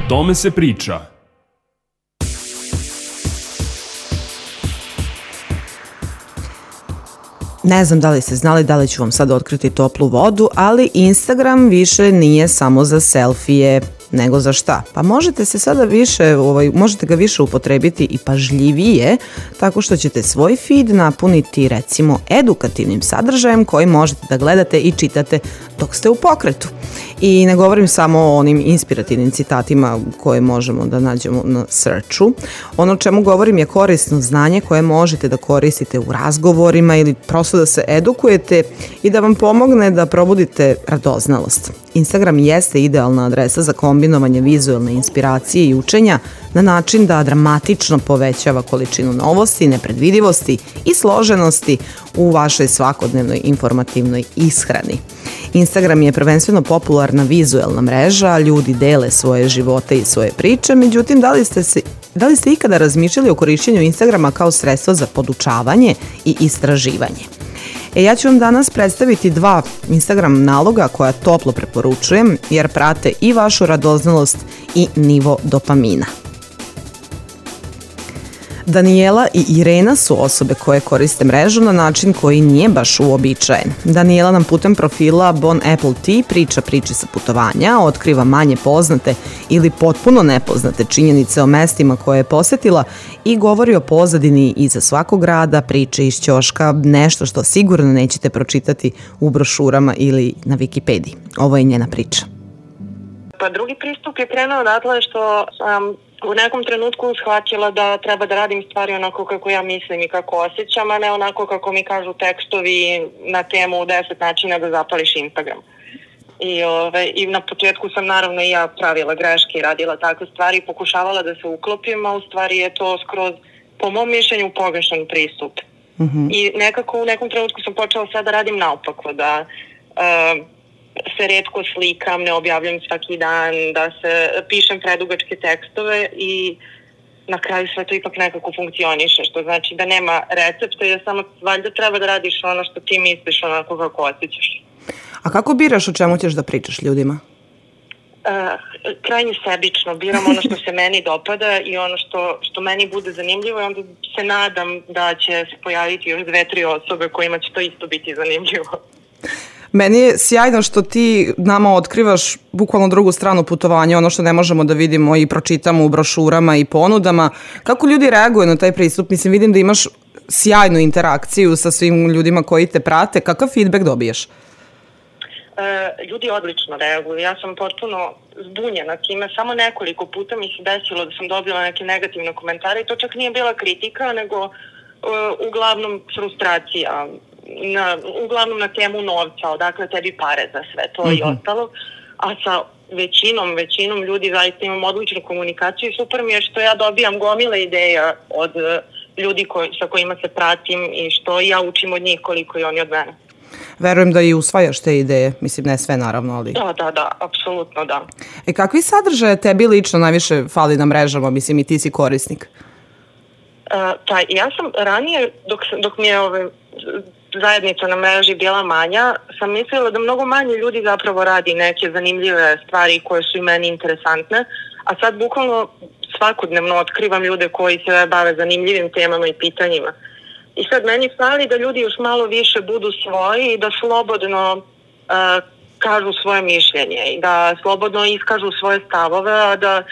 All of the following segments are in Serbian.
tome se priča. Ne znam da li ste znali, da li ću vam sad otkriti toplu vodu, ali Instagram više nije samo za selfije, nego za šta? Pa možete se sada možete ga više upotrebiti i pažljivije, tako što ćete svoj feed napuniti recimo edukativnim sadržajem koji možete da gledate i čitate dok ste u pokretu. I ne govorim samo o onim inspirativnim citatima koje možemo da nađemo na searchu. Ono o čemu govorim je korisno znanje koje možete da koristite u razgovorima ili prosto da se edukujete i da vam pomogne da probudite radoznalost. Instagram jeste idealna adresa za kombinovanje vizualne inspiracije i učenja na način da dramatično povećava količinu novosti, nepredvidivosti i složenosti u vašoj svakodnevnoj informativnoj ishrani. Instagram je prvenstveno popularna vizuelna mreža, ljudi dele svoje živote i svoje priče, međutim, da li ste ikada razmišljali o korišćenju Instagrama kao sredstvo za podučavanje i istraživanje? Ja ću vam danas predstaviti 2 Instagram naloga koja toplo preporučujem jer prate i vašu radoznalost i nivo dopamina. Danijela i Irena su osobe koje koriste mrežu na način koji nije baš uobičajen. Danijela nam putem profila Bon Apple Tea priča priče sa putovanja, otkriva manje poznate ili potpuno nepoznate činjenice o mestima koje je posetila i govori o pozadini iza svakog grada, priče iz ćoška, nešto što sigurno nećete pročitati u brošurama ili na Wikipediji. Ovo je njena priča. Pa drugi pristup je krenuo odatle što sam u nekom trenutku shvatila da treba da radim stvari onako kako ja mislim i kako osjećam, a ne onako kako mi kažu tekstovi na temu 10 načina da zapališ Instagram. I na početku sam naravno i ja pravila greške i radila takve stvari i pokušavala da se uklopim, a u stvari je to skroz, po mom mišljenju, pogrešan pristup. I nekako u nekom trenutku sam počela sad da radim naopako, da se retko slikam, ne objavljam svaki dan, da se pišem predugačke tekstove i na kraju sve to ipak nekako funkcioniše, što znači da nema recepta, jer samo valjda treba da radiš ono što ti misliš, onako kako osjećaš. A kako biraš o čemu ćeš da pričaš ljudima? Krajnje sebično, biram ono što se meni dopada i ono što meni bude zanimljivo i onda se nadam da će se pojaviti još 2-3 osobe kojima će to isto biti zanimljivo. Meni je sjajno što ti nama otkrivaš bukvalno drugu stranu putovanja, ono što ne možemo da vidimo i pročitamo u brošurama i ponudama. Kako ljudi reaguju na taj pristup? Mislim, vidim da imaš sjajnu interakciju sa svim ljudima koji te prate. Kakav feedback dobiješ? Ljudi odlično reaguju. Ja sam potpuno zbunjena time. Samo nekoliko puta mi se desilo da sam dobila neke negativne komentare i to čak nije bila kritika, nego uglavnom frustracija. Uglavnom na temu novca, odakle tebi pare za sve to i ostalo, a sa većinom ljudi zaista imam odličnu komunikaciju i super mi je što ja dobijam gomile ideja od ljudi sa kojima se pratim i što ja učim od njih koliko i oni od mene. Verujem da i usvajaš te ideje, mislim ne sve naravno, ali... Da, apsolutno da. Kakvi sadržaje tebi lično najviše fali na mrežama, mislim i ti si korisnik? Pa ja sam ranije, dok mi je zajednica na mreži bila manja, sam mislila da mnogo manje ljudi zapravo radi neke zanimljive stvari koje su i meni interesantne, a sad bukvalno svakodnevno otkrivam ljude koji se bave zanimljivim temama i pitanjima. I sad meni fali da ljudi još malo više budu svoji i da slobodno kažu svoje mišljenje i da slobodno iskažu svoje stavove, a da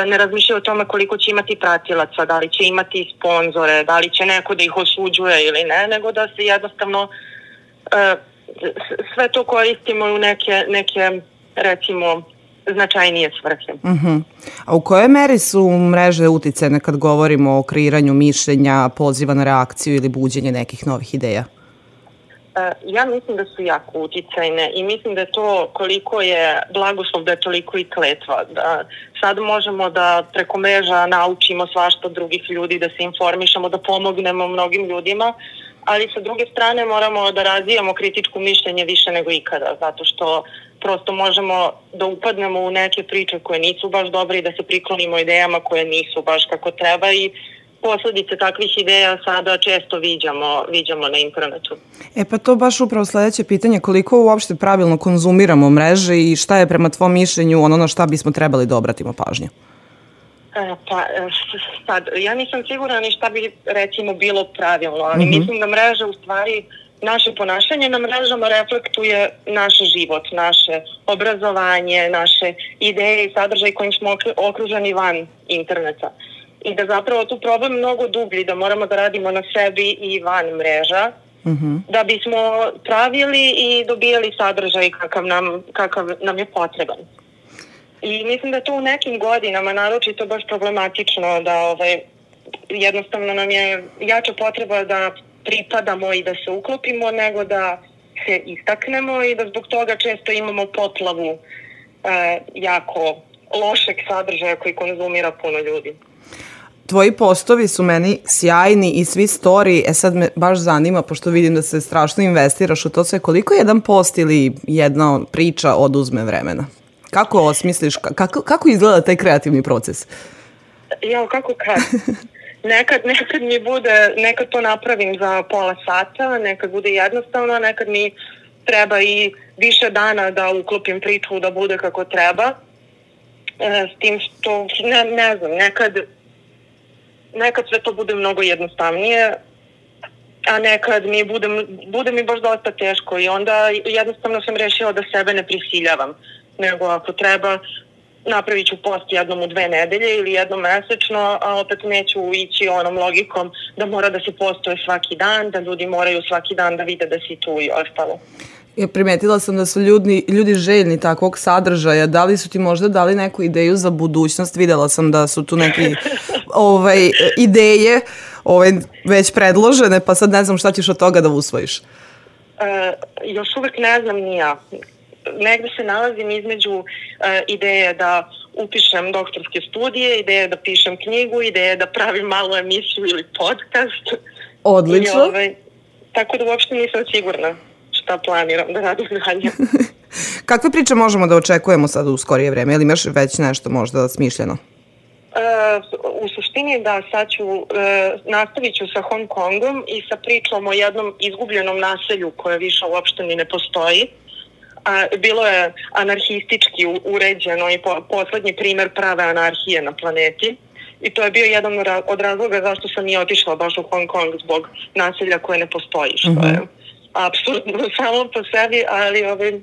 ne razmišljaju o tome koliko će imati pratilaca, da li će imati sponzore, da li će neko da ih osuđuje ili ne, nego da se jednostavno sve to koristimo u neke recimo značajnije svrhe. A u kojoj meri su mreže uticajne kad govorimo o kreiranju mišljenja, poziva na reakciju ili buđenje nekih novih ideja? Ja mislim da su jako uticajne i mislim da je to koliko je blagoslov, da je toliko i kletva. Da sad možemo da preko mreža naučimo svašta od drugih ljudi, da se informišemo, da pomognemo mnogim ljudima, ali sa druge strane moramo da razvijamo kritičko mišljenje više nego ikada, zato što prosto možemo da upadnemo u neke priče koje nisu baš dobre i da se priklonimo idejama koje nisu baš kako treba i posledice takvih ideja sada često viđamo na internetu. Pa to baš upravo sledeće pitanje, koliko uopšte pravilno konzumiramo mreže i šta je prema tvom mišljenju ono na šta bismo trebali da obratimo pažnju? Sad, ja nisam sigurna ni šta bi recimo bilo pravilno, ali mislim da mreža u stvari, naše ponašanje na mrežama reflektuje naš život, naše obrazovanje, naše ideje i sadržaj kojim smo okruženi van interneta. I da zapravo tu problem mnogo dublji, da moramo da radimo na sebi i van mreža, da bismo pravili i dobijali sadržaj kakav nam je potreban. I mislim da to u nekim godinama naročito baš problematično, da jednostavno nam je jača potreba da pripadamo i da se uklopimo nego da se istaknemo i da zbog toga često imamo poplavu jako lošeg sadržaja koji konzumira puno ljudi. Tvoji postovi su meni sjajni i svi story, sad me baš zanima, pošto vidim da se strašno investiraš u to sve, koliko jedan post ili jedna priča oduzme vremena? Kako osmisliš, kako izgleda taj kreativni proces? Kako kad? Nekad mi bude, nekad to napravim za pola sata, nekad bude jednostavno, nekad mi treba i više dana da uklopim priču da bude kako treba. S tim što, ne znam, nekad sve to bude mnogo jednostavnije, a nekad bude mi baš dosta teško i onda jednostavno sam rešila da sebe ne prisiljavam, nego ako treba napravit ću post jednom u 2 nedelje ili jednom mesečno, a opet neću ići onom logikom da mora da se postuje svaki dan, da ljudi moraju svaki dan da vide da si tu i ostalo. Primetila sam da su ljudi željni takvog sadržaja. Da li su ti možda dali neku ideju za budućnost? Videla sam da su tu neke ideje već predložene, pa sad ne znam šta ćeš od toga da usvojiš. Još uvek ne znam ni ja. Negde se nalazim između ideje da upišem doktorske studije, ideje da pišem knjigu, ideje da pravim malu emisiju ili podcast. Odlično. Tako da uopšte nisam sigurna šta planiram da radim dalje. Kakve priče možemo da očekujemo sad u skorije vreme? Ili imaš već nešto možda smišljeno? U suštini da, sad nastavit ću sa Hong Kongom i sa pričom o jednom izgubljenom naselju koje više uopšte ni ne postoji. Bilo je anarhistički uređeno i poslednji primer prave anarhije na planeti. I to je bio jedan od razloga zašto sam i otišla baš u Hong Kong zbog naselja koje ne postoji, što je apsolutno samo po sebi, ali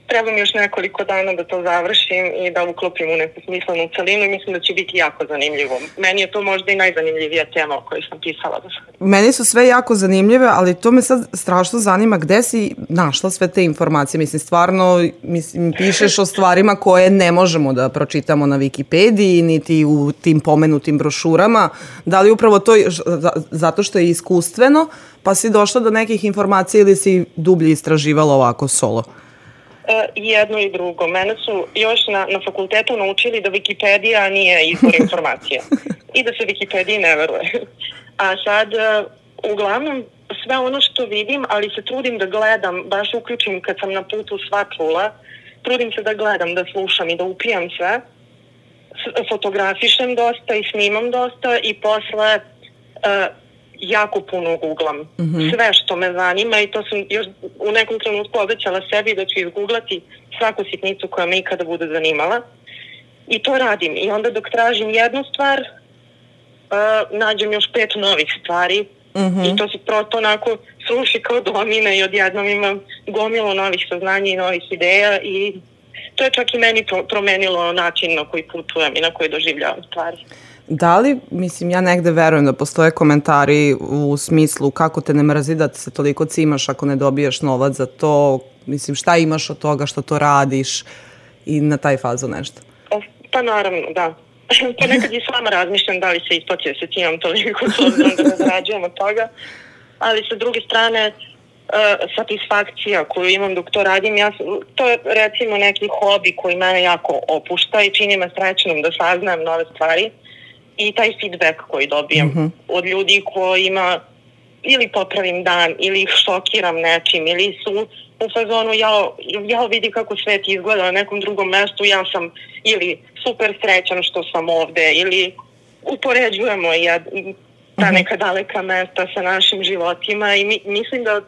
treba mi još nekoliko dana da to završim i da uklopim u neku smislenu celinu i mislim da će biti jako zanimljivo. Meni je to možda i najzanimljivija tema o kojoj sam pisala do sada. Meni su sve jako zanimljive, ali to me sad strašno zanima gde si našla sve te informacije. Mislim, stvarno, pišeš o stvarima koje ne možemo da pročitamo na Wikipediji, niti u tim pomenutim brošurama. Da li upravo to zato što je iskustveno, pa si došla do nekih informacija ili si dublje istraživala ovako solo? Jedno i drugo. Mene su još na fakultetu naučili da Wikipedija nije izvor informacija i da se Wikipediji ne veruje. A sad, uglavnom, sve ono što vidim, ali se trudim da gledam, baš uključim kad sam na putu sva čula, trudim se da gledam, da slušam i da upijam sve, fotografišem dosta i snimam dosta i posle jako puno googlam. Sve što me zanima i to sam još u nekom trenutku obećala sebi da ću izgooglati svaku sitnicu koja me ikada bude zanimala. I to radim. I onda dok tražim jednu stvar, nađem još 5 novih stvari i to se prosto onako sruši kao domine i odjednom imam gomilu novih saznanja i novih ideja i to je čak i meni promenilo način na koji putujem i na koji doživljavam stvari. Da li, mislim, ja negde verujem da postoje komentari u smislu kako te ne mrzi da se toliko cimaš ako ne dobiješ novac za to, mislim, šta imaš od toga što to radiš i na taj fazu nešto? Pa naravno, da. Pa nekad i sama razmišljam da li se isplati da se cimam toliko s obzirom da ne zarađujem od toga, ali sa druge strane satisfakcija koju imam dok to radim, to je recimo neki hobi koji mene jako opušta i čini me srećnom da saznajem nove stvari. I taj feedback koji dobijem od ljudi kojima ili popravim dan, ili ih šokiram nečim, ili su u fazonu ja vidi kako svet izgleda na nekom drugom mestu, ja sam ili super srećan što sam ovde, ili upoređujemo ta neka daleka mesta sa našim životima i mislim da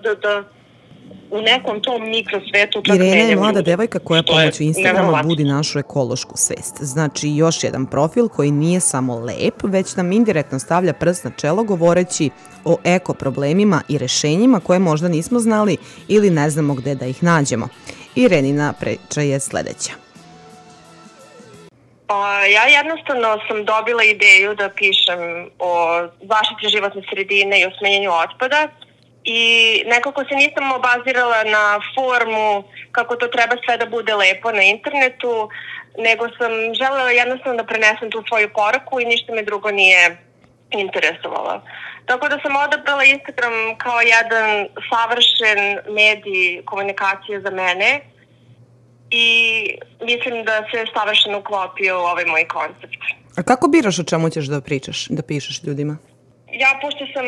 u nekom tom mikrosvetu čak Irena je mlada ljude, devojka koja pomoću Instagrama budi našu ekološku svest. Znači još jedan profil koji nije samo lep, već nam indirektno stavlja prst na čelo govoreći o eko problemima i rešenjima koje možda nismo znali ili ne znamo gde da ih nađemo. Irenina priča je sledeća. Ja jednostavno sam dobila ideju da pišem o zaštiti životne sredine i o smanjenju otpada i nekako se nisam obazirala na formu kako to treba sve da bude lepo na internetu, nego sam želela jednostavno da prenesem tu svoju poruku i ništa me drugo nije interesovalo. Tako da sam odabrala Instagram kao jedan savršen medij komunikacije za mene i mislim da se savršeno uklopio u ovaj moj koncept. A kako biraš o čemu ćeš da pišeš ljudima? Ja, pošto sam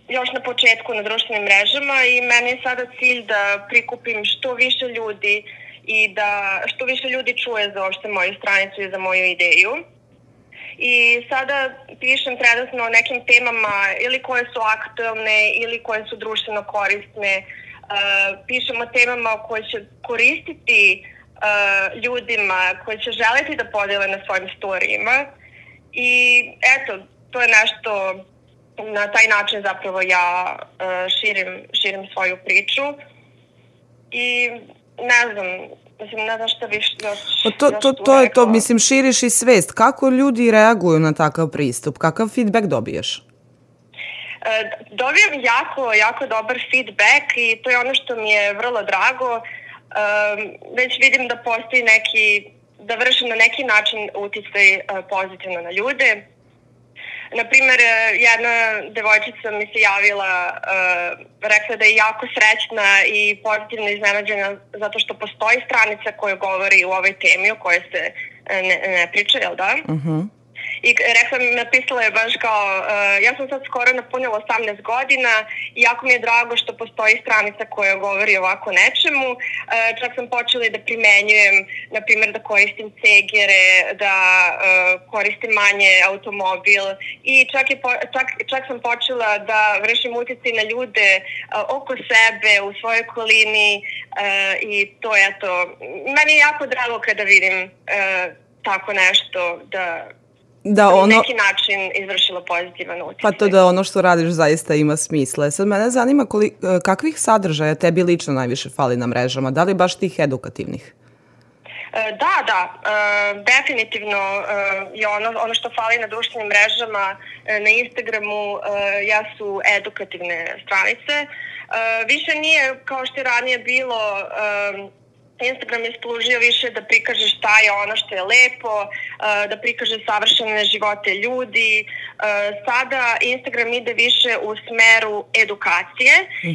još na početku na društvenim mrežama i meni je sada cilj da prikupim što više ljudi i da što više ljudi čuje za uopšte moju stranicu i za moju ideju. I sada pišem trenutno o nekim temama ili koje su aktuelne ili koje su društveno korisne. Pišem o temama koje će koristiti ljudima, koje će želeti da podele na svojim storijima. I eto, to je nešto, na taj način zapravo ja širim svoju priču. I ne znam šta bi još to je to, mislim, širiš i svest. Kako ljudi reaguju na takav pristup? Kakav feedback dobiješ? Dobijam jako dobar feedback i to je ono što mi je vrlo drago. Već vidim da postoji da vršim na neki način uticaj pozitivno na ljude. Naprimer, jedna devojčica mi se javila, rekla da je jako srećna i pozitivno iznenađena zato što postoji stranica koja govori u ovoj temi o kojoj se ne priča, jel da? I napisala je baš kao, ja sam sad skoro napunila 18 godina i jako mi je drago što postoji stranica koja govori ovako nečemu. Čak sam počela da primenjujem, na primjer da koristim cegere, da koristim manje automobil i čak sam počela da vršim uticaj na ljude oko sebe, u svojoj okolini i to je to. Meni je jako drago kada vidim tako nešto da na neki način izvršilo pozitivan utjecaj. Pa to da ono što radiš zaista ima smisla. Sad mene zanima kakvih sadržaja tebi lično najviše fali na mrežama? Da li baš tih edukativnih? Da, definitivno je ono što fali na društvenim mrežama, na Instagramu jesu edukativne stranice. Više nije kao što je ranije bilo, Instagram je služio više da prikaže šta je ono što je lepo, da prikaže savršene živote ljudi. Sada Instagram ide više u smeru edukacije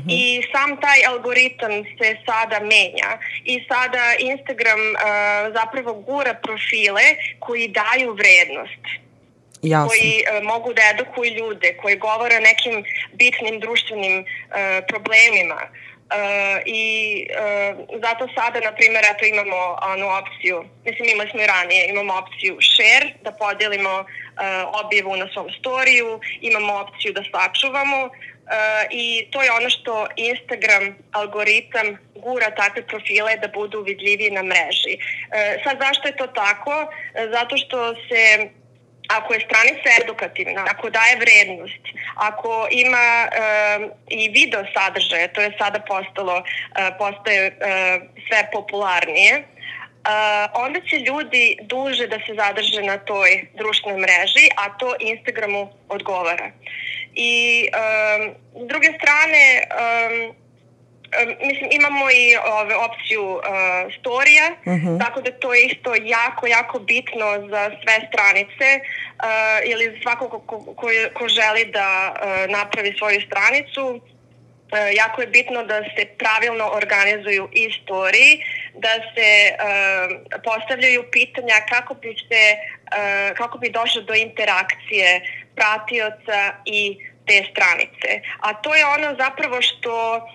i sam taj algoritam se sada menja. I sada Instagram zapravo gura profile koji daju vrednost. Jasno. Koji mogu da edukuju ljude, koji govore o nekim bitnim društvenim problemima. I zato sada, na primjer, imamo onu opciju, mislim imali smo i ranije, imamo opciju share, da podelimo objavu na svom storiju, imamo opciju da sačuvamo i to je ono što Instagram algoritam gura takve profile da budu vidljiviji na mreži. Sad zašto je to tako? Zato što se ako je stranica edukativna, ako daje vrednost, ako ima i video sadržaje, to je sada postaje sve popularnije, onda će ljudi duže da se zadrže na toj društvenoj mreži, a to Instagramu odgovara. I s druge strane, mislim, imamo i opciju storija, tako da to je isto jako bitno za sve stranice ili svako ko želi da napravi svoju stranicu. Jako je bitno da se pravilno organizuju i storiji, da se postavljaju pitanja kako bi došlo do interakcije pratioca i te stranice. A to je ono zapravo što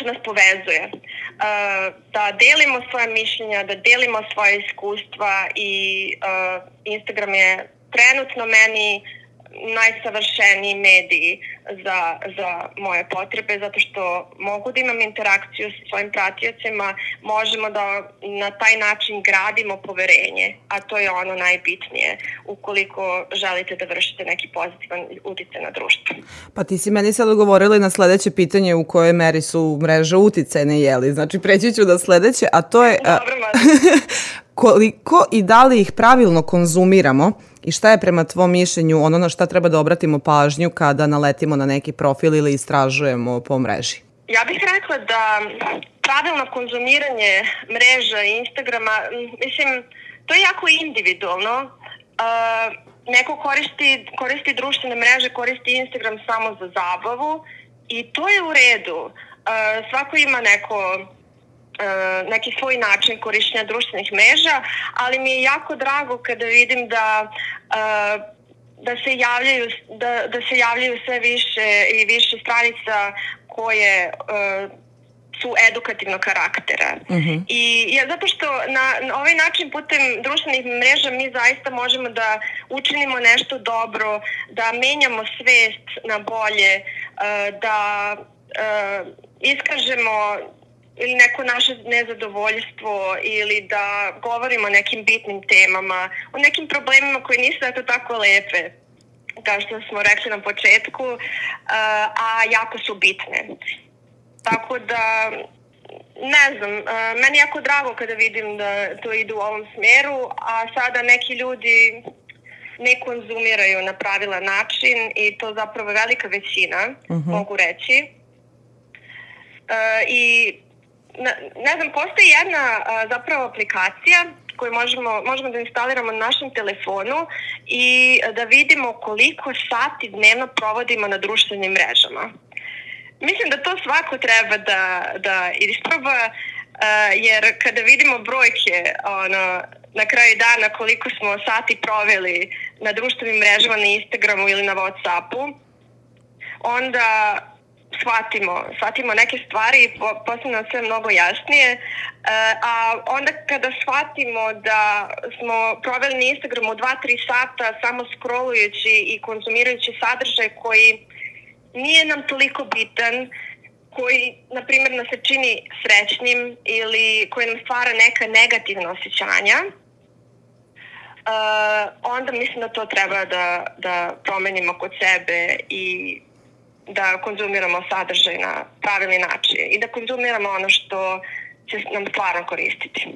nas povezuje. Da delimo svoje mišljenja, da delimo svoje iskustva i Instagram je trenutno meni najsavršeniji mediji za moje potrebe, zato što mogu da imam interakciju sa svojim pratiocima, možemo da na taj način gradimo poverenje, a to je ono najbitnije ukoliko želite da vršite neki pozitivan uticaj na društvo. Pa ti si meni sad odgovorila na sledeće pitanje u kojoj meri su mreže uticajne, jeli? Znači preći ću da sledeće, a to je koliko i da li ih pravilno konzumiramo i šta je prema tvom mišljenju ono na šta treba da obratimo pažnju kada naletimo na neki profil ili istražujemo po mreži? Ja bih rekla da pravilno konzumiranje mreža i Instagrama, mislim, to je jako individualno. Neko koristi društvene mreže, koristi Instagram samo za zabavu i to je u redu. Svako ima neki svoj način korištenja društvenih mreža, ali mi je jako drago kada vidim da se javljaju sve više i više stranica koje su edukativnog karaktera. I zato što na ovaj način putem društvenih mreža mi zaista možemo da učinimo nešto dobro, da menjamo svest na bolje, da iskažemo ili neko naše nezadovoljstvo ili da govorimo o nekim bitnim temama, o nekim problemima koji nisu tako lepe, kao što smo rekli na početku, a jako su bitne. Tako da, ne znam, meni je jako drago kada vidim da to ide u ovom smeru, a sada neki ljudi ne konzumiraju na pravilan način i to zapravo velika većina, mogu reći. I ne znam, postoji jedna zapravo aplikacija koju možemo da instaliramo na našem telefonu i da vidimo koliko sati dnevno provodimo na društvenim mrežama. Mislim da to svako treba da isproba, jer kada vidimo brojke na kraju dana koliko smo sati proveli na društvenim mrežama, na Instagramu ili na Whatsappu, onda shvatimo neke stvari i postane nam sve mnogo jasnije, a onda kada shvatimo da smo proveli na Instagramu 2-3 sata samo scrollujući i konzumirajući sadržaj koji nije nam toliko bitan, koji, na primjer, nas se čini srećnim ili koji nam stvara neka negativna osjećanja, onda mislim da to treba da promenimo kod sebe i da konzumiramo sadržaj na pravilni način i da konzumiramo ono što će nam stvarno koristiti.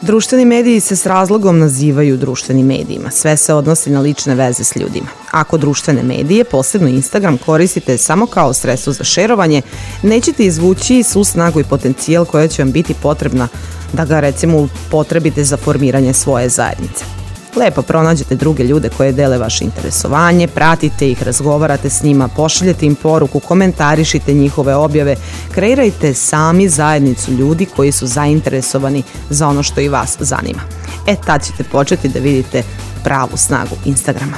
Društveni mediji se s razlogom nazivaju društvenim medijima. Sve se odnosi na lične veze s ljudima. Ako društvene medije, posebno Instagram, koristite samo kao sredstvo za šerovanje, nećete izvući svu snagu i potencijal koja će vam biti potrebna da ga, recimo, upotrebite za formiranje svoje zajednice. Lepo pronađete druge ljude koje dele vaše interesovanje, pratite ih, razgovarate s njima, pošaljete im poruku, komentarišite njihove objave, kreirajte sami zajednicu ljudi koji su zainteresovani za ono što i vas zanima. Tad ćete početi da vidite pravu snagu Instagrama.